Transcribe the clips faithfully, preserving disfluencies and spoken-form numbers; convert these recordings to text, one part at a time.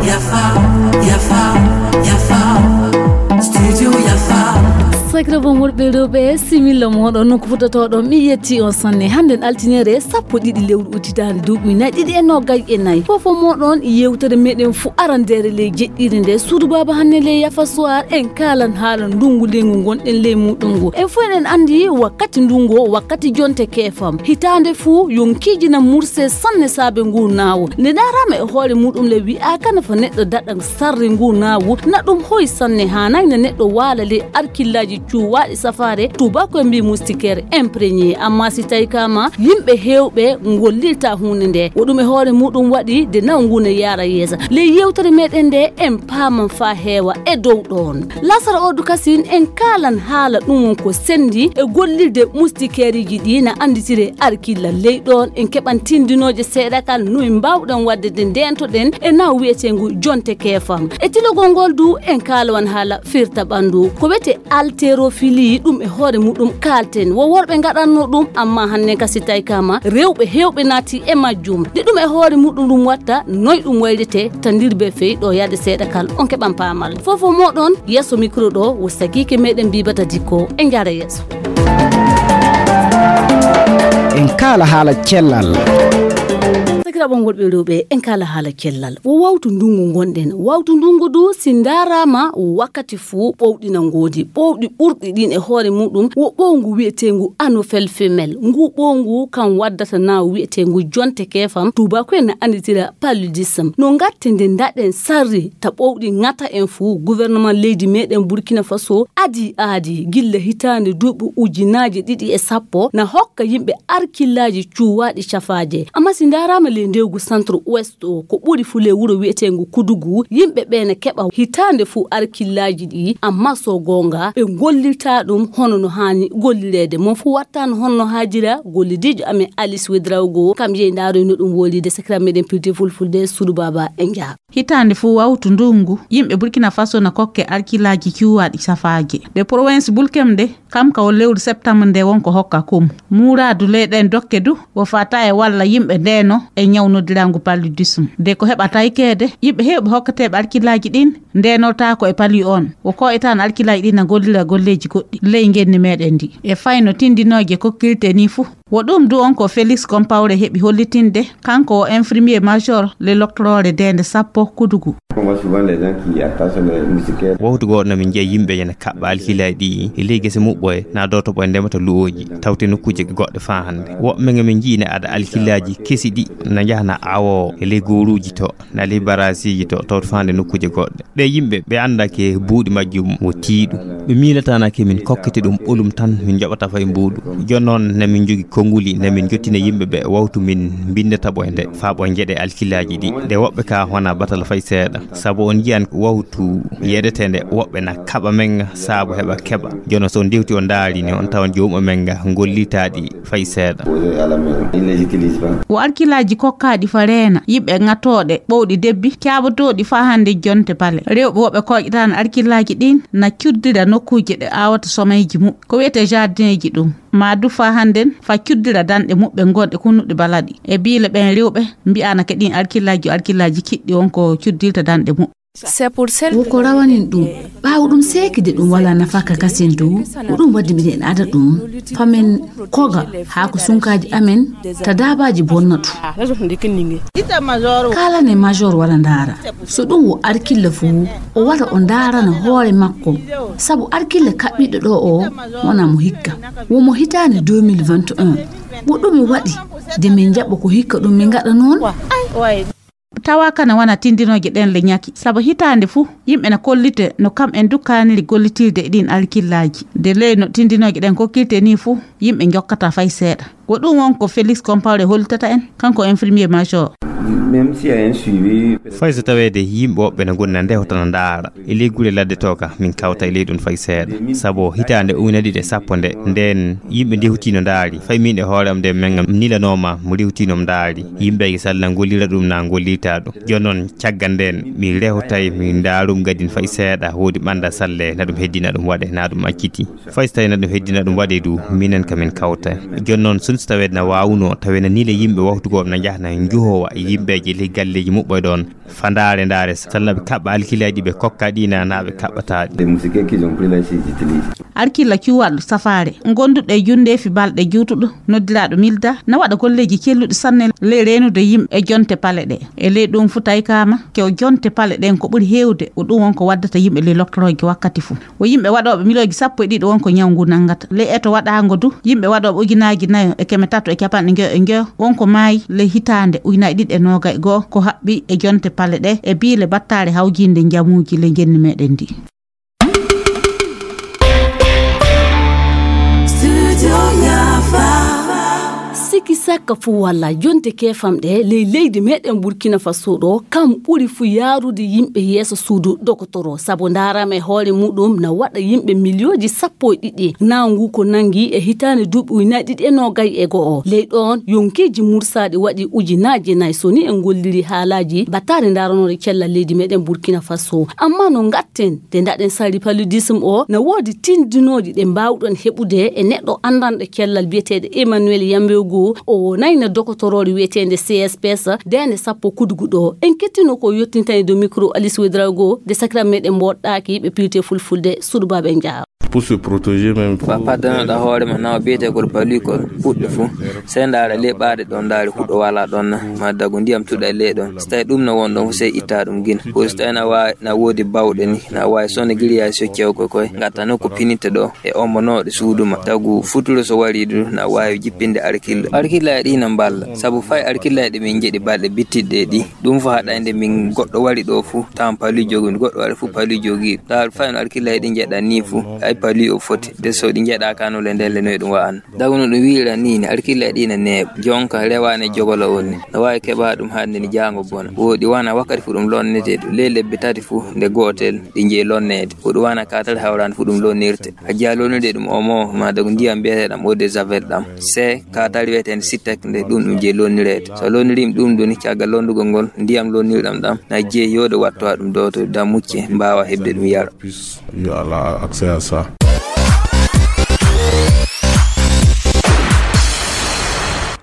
Yafa, yafa, yafa. Studio Yafa. Sakiraaɓe am worɓe e rewɓe, similla moɗon nokku fuɗɗotoɗon. Mi yetti on sanne. Hannden altinere sappo ɗiɗi lewru utitaande duuɓi nayi ɗiɗi e noogay e nayi. Fof fof moɗon yewtere meɗen fu arandere ley jeɗɗire nde. Suudu baaba hanne ley Yafa Soir en kaalan haala ndungu leygu ngonɗen ley muɗum ngu. En fof eɗen andi wakkati ndungu o, wakkati jonte keefam. Hitaande fu yon kiijina murse sanne saabe ngu naawu. Nde ndaaraama e hoore muɗum le wi'aaka nafa neɗɗo daɗa sarri ngu naawu. Na ɗum hoy sanne haanay na neɗɗo waala ley arkillaaji cuwaaɗi safaare, tuubaaku en mbi moustiquaire imprégné. Amma si tawi kaama yimɓe heewɓe ngollirta huunde nde, wo ɗum e hoore muɗum waɗi de naw ngu ne yaara yeesa. Ley yewtere meɗen nde en paaman faa heewa e dow ɗoon. Lasara Odu Kasin en kaalan haala ɗum won ko sendi e gollirde moustiquaireji ɗi na anditire arkilla ley ɗoon. En keɓan tindinooje seeɗa kal no en mbaawɗen waɗde de ndeentoɗen e naw wi'eteengu jonte keefam. E tilogol ngol du en kaalawan haala firta ɓanndu. Ko wiyetee haltérophilie, ɗum e hoore muɗum kaalten. Wo worɓe ngaɗatno ɗum, amma hannden ka si tawi kaama rewɓe heewɓe naati e majjum. De ɗum e hoore muɗum ɗum watta noy ɗum waylitee, tandirbe fey ɗo yaade seeɗa kal on keɓan paamal. Fof fof moɗon yeeso micro ɗo wo sakiike meɗen Bibata Dikko. En njaara yeeso. En kaala haala cellal. Sakiraaɓe am worɓe e rewɓe, en kaala haala cellal. Wo wawtu ndungu ngonɗen. Wawtu ndungu du si ndaaraama wakkati fuu ɓowɗi na ngoodi. Ɓowɗi ɓurɗi ɗin e hoore muɗum wo ɓowngu wi'eteengu anophèle femelle. Ngu ɓowngu kan waddata naw wi'eteengu jonte keefam. Tuubaaku en na anditira paludisme. No ngatte nde ndaɗen sarri ta ɓowɗi ŋata en fuu, gouvernement leydi meɗen Burkina Faso adi aadi gilla hitaande duuɓi ujunaaji ɗiɗi e sappo na hokka yimɓe arkillaaji cuwaaɗi cafaaje. Amma si ndaaraama ley ndewgu centre ouest o, ko ɓuri fu ley wuro wi'eteengu Kudugu, yimɓe ɓe na keɓa hitaande fuu arkillaaji ɗi, amma so goonga ɓe ngollirta ɗum hono no haani gollireede. Mon fuu wattaano hono no haajira gollidiijo amen Alice Wedraogo, kam yehi ndaaroy no ɗum woli de sakiraaɓe meɗen pirti fulfulde suudu baaba en njaha. Hitaande fuu wawtu ndunngu, yimɓe Burkina Faso na kokke arkillaaji cuwaaɗi safaaje. De province Bulkem de, kam ka wo lewru septembre nde won ko hokka kum. Muuraadu ley ɗen dokke du, wo fata e walla yimɓe ndeeno e ñaw noddirangu paludisme. De ko heɓa taykeede, yimɓe heewɓe hokketeeɓe arkillaaji ɗin ndeenotaako e palu on. Wo ko e tan arkillaaji ɗin na gollira golleeji goɗɗi ley ngenni meɗen ndi. E fayno tindinooje kokkirte ni fuu. Wo ɗum du on ko Félix Compaoré heɓi hollitinde, kanko o infirmier major le loctoroore deende sappo Kudugu. Wowtu gooto na min njiya yimɓe ene kaɓɓa alkilaaji ɗi e ley gese muɓɓoye, na dooto ɓoye ndemata lu'ooji, tawte nokkuuje goɗɗe faa hannde. Woɓɓe nga min njii ne ada alkilaaji kesi ɗi na njahana awo e ley gooruuji to, na ley barasiiji to, tawte faa hannde nokkuuje goɗɗe. Ɓe yimɓe ɓe anndake buuɗi majjum wo tiiɗu. Ɓe miilataanake min kokkete ɗum ɓolum tan, min njoɓata fay mbuuɗu. Jooni noon, na min njogi konnguli, na min njottina yimɓe ɓe wawtu min mbinndata ɓoy nde, faa ɓoy njeɗe alkilaaji ɗi. Ɗe woɓɓe ka wona batala fay seeɗa. Sabu on njiyan wawtu yeɗetee nde, woɓɓe na kaɓa men nga, sabu heɓa keɓa. Jooni so on ndewti on ndaari ni, on tawan joomum men nga ngollitaɗi fay seeɗa. Wo arkilaaji kokkaaɗi fa reena, yiɓɓe ŋatooɗe, ɓowɗi debbi, caaɓotooɗi faa hannde jonte pale. Rewɓe woɓɓe kooƴataano arkilaaji ɗin na cuddira nokkuuje ɗe aawata somayji muɓɓe. Ko wiyetee jardineeji ɗum. Maa du faa hannden faa cuddira danɗe muɓɓe gonɗe kunnuɗe balaɗi. E biile ɓen rewɓe mbi'aana ke ɗin arkilaaji, arkilaaji kiɗɗi on ko cuddirta danɗe muɓɓe. Wo ko rawanin ɗum. Ɓaawo ɗum seekide ɗum walaa nafaaka kasin dow. Ko ɗum waddi miɗen ada ɗum. Famen koga haa ko sunkaaji amen ta daabaaji bonnatu. Kaalane major wara ndaara. So ɗum wo arkilla fuu, o wara o ndaarana hoore makko. Sabu arkilla kaɓɓiɗo ɗo o wonaa mo hikka. Wo mo hitaande deux mille vingt et un. Wo ɗume waɗi de min njaɓa ko hikka ɗum min ngaɗa noon? Tawa kana wana tindinooje ɗen le ñaki. Sabu hitaande fuu, yimɓe na kollite no kam en dukkaniri gollitirde e ɗin alkillaaji. De ley no tindinooje ɗen kokkirte ni fuu, yimɓe njokkata fay seeɗa. Ko ɗum won ko Félix Compaoré hollitata en, kanko infirmier major. Fay so taweede yimɓe woɓɓe ne ngoni na ndehota na ndaara e ley gure ladde to ka, min kawta e ley ɗum fay seeɗa. Sabu hitaande ujunere ɗiɗi e sappo nde, ndeen yimɓe ndehutino ndaari. Fay min e hoore am nde men nilanooma mo rewtino mo ndaari. Yimɓe e salna ngollira ɗum na ngollirta ɗum. Jooni noon caggal ndeen mi rewtay mi ndaarum gadin fay seeɗa woodi ɓannda salle na ɗum heddina ɗum waɗe na ɗum acciti. Fay so tawii na ɗum heddina ɗum waɗe du minen ka min kawta. Jooni noon sun so taweede na waawuno taweede na nile yimɓe wawtugooɓe na njaha na njuhowa yimɓeeji ley galleeji muɓɓoy ɗoon. Fa ndaare ndaare salnaɓe kaɓɓa alkilaaji ɓe kokka ɗi na naɓe kaɓɓataɗi. Arkilla cuwaɗo safaare gonduɗo e jundeefi balɗe juutuɗo noddiraɗo milda na waɗa golleeji celluɗi sanne ley reenude yimɓe e jonte pale ɗe. E ley ɗum fu taykama kew jonte pale ɗen ko ɓuri heewde ko ɗum won ko waddata yimɓe ley lottorooji wakkati fu. Ko yimɓe waɗooɓe milooji sappo e ɗiɗi won ko ñaw ngu nanngata. Ley eto waɗaango du, yimɓe waɗooɓe ujunaaji nayo e keme tato e capanɗe njoyo e njoyo won ko maayi ley hitaande ujunaaji ɗiɗi e noogay goo ko haɓɓi e jonte pale ɗe e biile battaare hawjiinde njamuuji ley njenni meɗen ndi. Siki sakka fuu walla jonte keefamɗe ley leydi meɗen Burkina Faso ɗo kam ɓuri fuu yaarude yimɓe yeeso suudu dokotoro sabu ndaarama e hoore muɗum na waɗa yimɓe miliyooji sappo e ɗiɗi naangu ko nangi e hitaande duuɓi ujunaaji ɗiɗi e noogay e go'o. Ley ɗoon yonkiiji mursaaɗi waɗi ujunaaji nay so ni en golliri haalaaji battaari ndaaranoore cellal leydi meɗen Burkina Faso. Amma no ngatten nde ndaɗen sari paludisme o na woodi tindinooji ɗe mbaawɗon heɓude e neɗɗo anndanɗo cellal biyeteeɗo Emmanuel Yambego. O wonayno dokotoroore wiyeteende C S P S deende sappo kudugu ɗo. En kettino ko yottintani do micro Alice Wedrago de sakira meɗen mboɗɗaaki ɓe piwte fulfulde suudu baaɓe njaaro. Pour se protéger même. Paddanoɗa hoore ma nawa biyete ko palikol puɗɗe fuu. Sey ndaara ley ɓaade ɗon ndaari huɗo wala ɗon na ma dago ndiyam tuɗa e ley ɗon. So tawi ɗum na won ɗon sey itta ɗum gina. Ko so tawi na waawi na woodi bawɗe ni na waawi sone giriyaasi o cewko koy ngatta nokku pininte ɗo e ombo nooɗe suudu ma tagu futuro so wari du na waawi jippinde arkilla. Arkilla e ɗi na mballa sabu fay arkilla e ɗi min jeɗi balɗe bittiɗɗe e ɗi. Ɗum fo haɗayde min goɗɗo wari ɗo fuu tawan pali jogi goɗɗo wari fuu pali jogi ɗaal fay no arkilla e ɗi jeɗa ni fuu. Ay pali o foti de so ɗi jeɗa kanole ndelle noy ɗum wa'an. Dagno ɗum wiira ni ne arkilla e ɗi na neeɓa jonka rewane jogola on ni. No waawi keɓa ɗum hannde ni jaango bona woɗi wana wakkati fuu ɗum lonnete ɗum ley lebbi tati fuu nde gootel ɗi jeyi lonneede. Ko ɗum wana katal hawrande fuu ɗum lonnirte a jiya lonnirde ɗum omo ma dagu ndiyam mbiyeteɗam eau de javel ɗam se katal wiyetende sittek nde ɗum ɗum jeyi lonnireede. So lonnirim ɗum ɗum caggal londugol ngol ndiyam lonnirɗam ɗam na jeyi yode wattowa ɗum doto da mucce mbawa heɓde ɗum yara. Yo Allah accès à ça.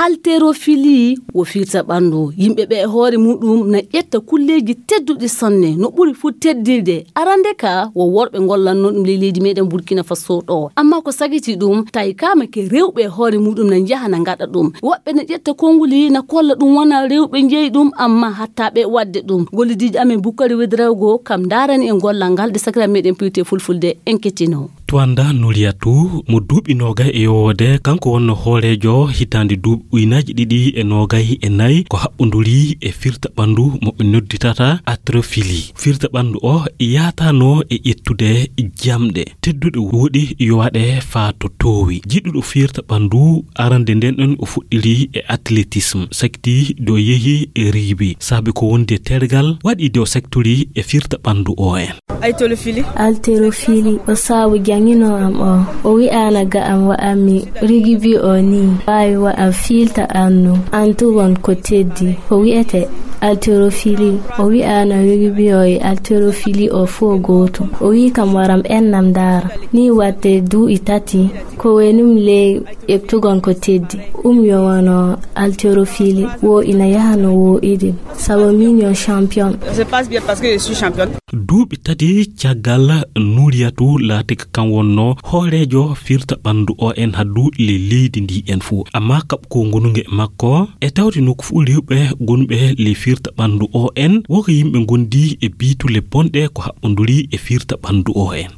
Haltérophilie wo firta ɓanndu. Yimɓe ɓe e hoore muɗum na ƴetta kulleeji tedduɗi sanne no ɓuri fuu teddirde. Arande ka wo worɓe ngollanno ɗum ley leydi meɗen Burkina Faso ɗo. Amma ko sagiti ɗum tawi kama ke rewɓe e hoore muɗum na njaha na ngaɗa ɗum. Woɓɓe na ƴetta konnguli na kolla ɗum wona rewɓe njeyi ɗum amma hatta ɓe waɗde ɗum. Gollidiijo amen Bukkari Wedrawgo kam ndarani en gollal ngal de sakira meɗen piwte fulfulde en kettino. Tuwanda Nuriyatu mo duuɓi noogay e yowoode kanko wonno hooreejo hitaande duuɓi ujunaaji ɗiɗi e noogay e nayi ko haɓɓonduri e firta ɓanndu mo ɓe nodditata atrofili. Firta ɓanndu o yaatano e ƴettude jamɗe tedduɗe woɗi yo waɗe faa to toowi. Jiɗuɗo firta ɓanndu arande nden ɗon o fuɗɗiri e athlétisme sakti do yehi e riibi saabi ko wondi e tergal waɗi do sektori e firta ɓanndu o en. Halterofili. Halterofili o saabu jangino am o. O wi'ana ga am wa'ammi rigibi o ni waawi wa'a fiilta annu antugon ko teddi. Ko wi'ete halterofili. O wi'ana rigibi o e halterofili o fo gootum. O wi'i kam waram ennam ndaara. Ni watte duu'i tati. Ko wenum ley ƴeɓtugon ko teddi. Um yo wano halterofili. Wo ina yaha no wo idin. Sabu min yo champion. Je passe bien parce que je suis championne. Duuɓi tati caggal Nuriyatu laati ko kam wonno hooreejo firta ɓanndu o en haddu le leydi ndi en fuu. Amma kaɓ ko ngonunge e makko e tawti nokku fuu rewɓe gonɓe le firta ɓanndu o en woko yimɓe ngondi e biitule bonɗe ko haɓɓonduri e firta ɓanndu o en.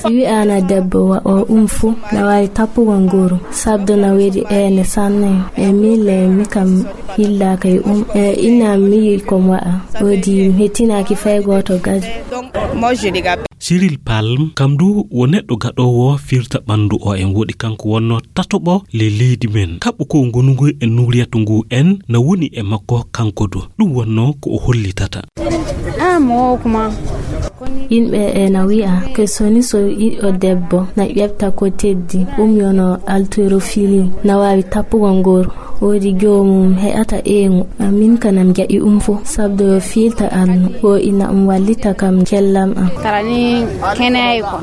Wi'ana debbo wa'o um fu na waawi tappugol nguru sabdo na weli eene sanne. E mille mi kam hillaaka e um e inna mi yi'i ko wa'a. Woodi mi hettinaaki fay gooto gadi. Cyril Palm, kam du wo neɗɗo gaɗoowo firta ɓanndu o en, woɗi kanko wonno tatoɓo ley leydi men. Kaɓɓu ko ngonungu e Nuriyatu ngu en na woni e makko kanko du. Ɗum wonno ko o hollitata. Yimɓe e na wi'a ko soni so yiɗo debbo na ƴefta ko teddi, ɗum yono haltérophilie, na waawi tappugol ngooru. Woodi joomum heƴata ɓeyngu. Min kanam jaɓi um fof, sabdo fiilta annu, ko ina um wallita kam kellam am. Tara ni keneyi ko.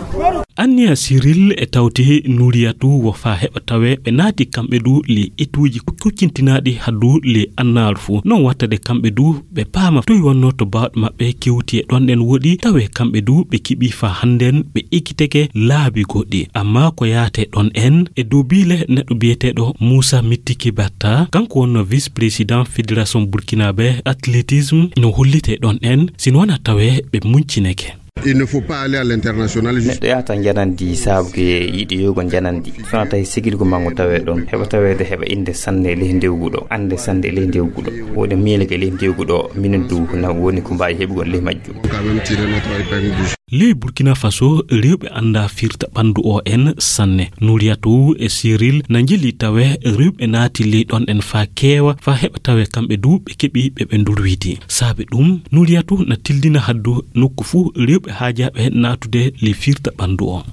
Anniya Cyril e tawti Nuriyatu wo faa heɓa tawe ɓe naati kamɓe du le etuuji kuccintinaaɗi haddu le annaaru fof. Non wattade kamɓe du ɓe paama toy wonno to baawɗe maɓɓe kewti e ɗon ɗen woɗi, tawe kamɓe du ɓe keɓi faa hannden ɓe ekkiteke laabi goɗɗi. Amma ko yaate ɗon en e dow biile neɗɗo biyeteeɗo Moussa Mittiki Batta, kanko wonno vice-président fédération burkinabé athlétisme, no hollite ɗon en, sino wona tawe ɓe muncineke. Il ne faut pas aller à l'international. Neɗɗo yahata njanandi saabu ke yiɗi yogo njanandi. Sona tawi sigirgo mango tawe ɗon. Heɓa taweede heɓa innde sanne e ley ndewgu ɗo. Annde sanne e ley ndewgu ɗo. Wode miileke e ley ndewgu ɗo. Minen du na woni ko mbaawi heɓugol ley majjum. Quand même tirer notre épingle du jeu. Ley Burkina Faso, rewɓe annda firta ɓanndu o en sanne. Nuriyatu e Cyril na njeli tawe rewɓe naati ley ɗon en faa keewa, faa heɓa tawe kamɓe du ɓe keɓi ɓe ɓe ndurwiti. Saabe ɗum, Nuriyatu na tildina haddu nokku fuu rewɓe haajaaɓe naatude ley firta ɓanndu o.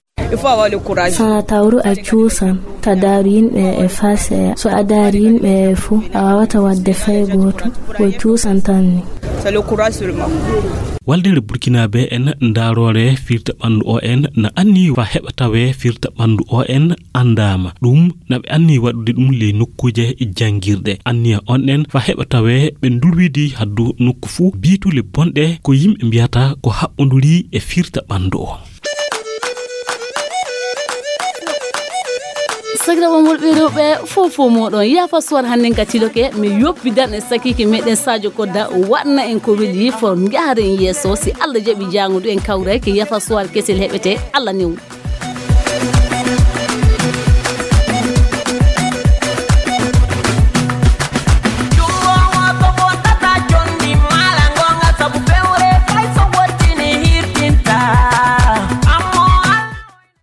Sona tawru a cuusan, ta daaru yimɓe e faa seeya. So a daari yimɓe e fuu, a waawata waɗde fay gooto. Ko cuusan tan ni. Waldere Burkinabé en ndaaroore firta ɓanndu o en na anni faa heɓa tawe firta ɓanndu o en anndaama. Ɗum na ɓe anni waɗude ɗum ley nokkuuje janngirɗe. Anniya on en faa heɓa tawe ɓe ndurwidi haddu nokku fuu biitule bonɗe ko yimɓe mbiyata ko haɓɓondurii e firta ɓanndu o. Sakiraaɓe am worɓe e rewɓe, fow fow mooɗon. Yaafa Suwar hannden ka tiloke, mi yoppidan e sakiike meɗen Sadio Kodda, waɗna en ko weli, for njaharen yeeso. Si Allah jaɓi jaango du en kawrayke, Yaafa Suwar kesel heɓete. Allah newnu.